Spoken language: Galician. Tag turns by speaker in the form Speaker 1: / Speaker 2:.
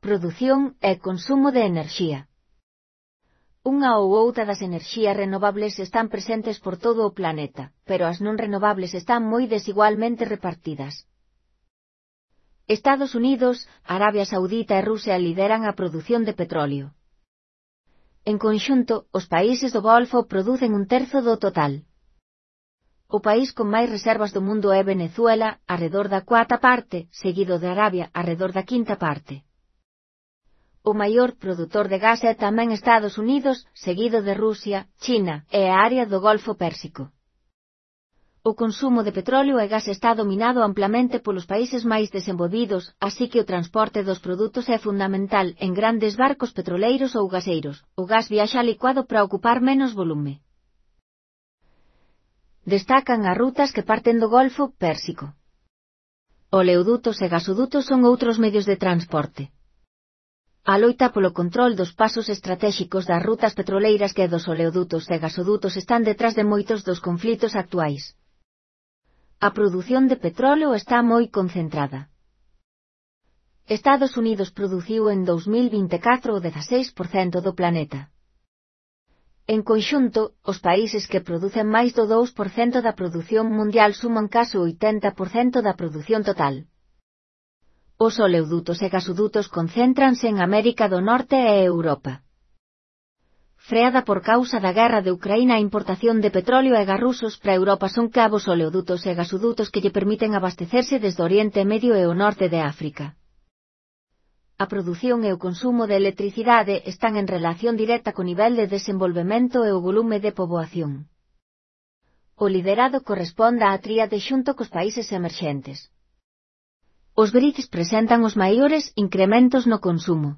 Speaker 1: Produción e consumo de enerxía. Unha ou outra das enerxías renovables están presentes por todo o planeta, pero as non renovables están moi desigualmente repartidas. Estados Unidos, Arabia Saudita e Rusia lideran a produción de petróleo. En conxunto, os países do Golfo producen un terzo do total. O país con máis reservas do mundo é Venezuela, arredor da cuarta parte, seguido de Arabia, arredor da quinta parte. O maior produtor de gas é tamén Estados Unidos, seguido de Rusia, China e a área do Golfo Pérsico. O consumo de petróleo e gas está dominado amplamente polos países máis desenvolvidos, así que o transporte dos produtos é fundamental en grandes barcos petroleiros ou gaseiros. O gas viaxa licuado para ocupar menos volume. Destacan as rutas que parten do Golfo Pérsico. Oleodutos e gasodutos son outros medios de transporte. A loita polo control dos pasos estratéxicos das rutas petroleiras que dos oleodutos e gasodutos están detrás de moitos dos conflitos actuais. A produción de petróleo está moi concentrada. Estados Unidos produciu en 2024 o 16% do planeta. En conxunto, os países que producen máis do 2% da produción mundial suman case o 80% da produción total. Os oleodutos e gasodutos concéntranse en América do Norte e Europa. Freada por causa da guerra de Ucraína, a importación de petróleo e gas rusos para Europa son cabos oleodutos e gasodutos que lle permiten abastecerse desde Oriente Medio e o norte de África. A produción e o consumo de electricidade están en relación directa co nivel de desenvolvemento e o volume de poboación. O liderado corresponde á tríade xunto cos países emerxentes. Os BRICS presentan os maiores incrementos no consumo.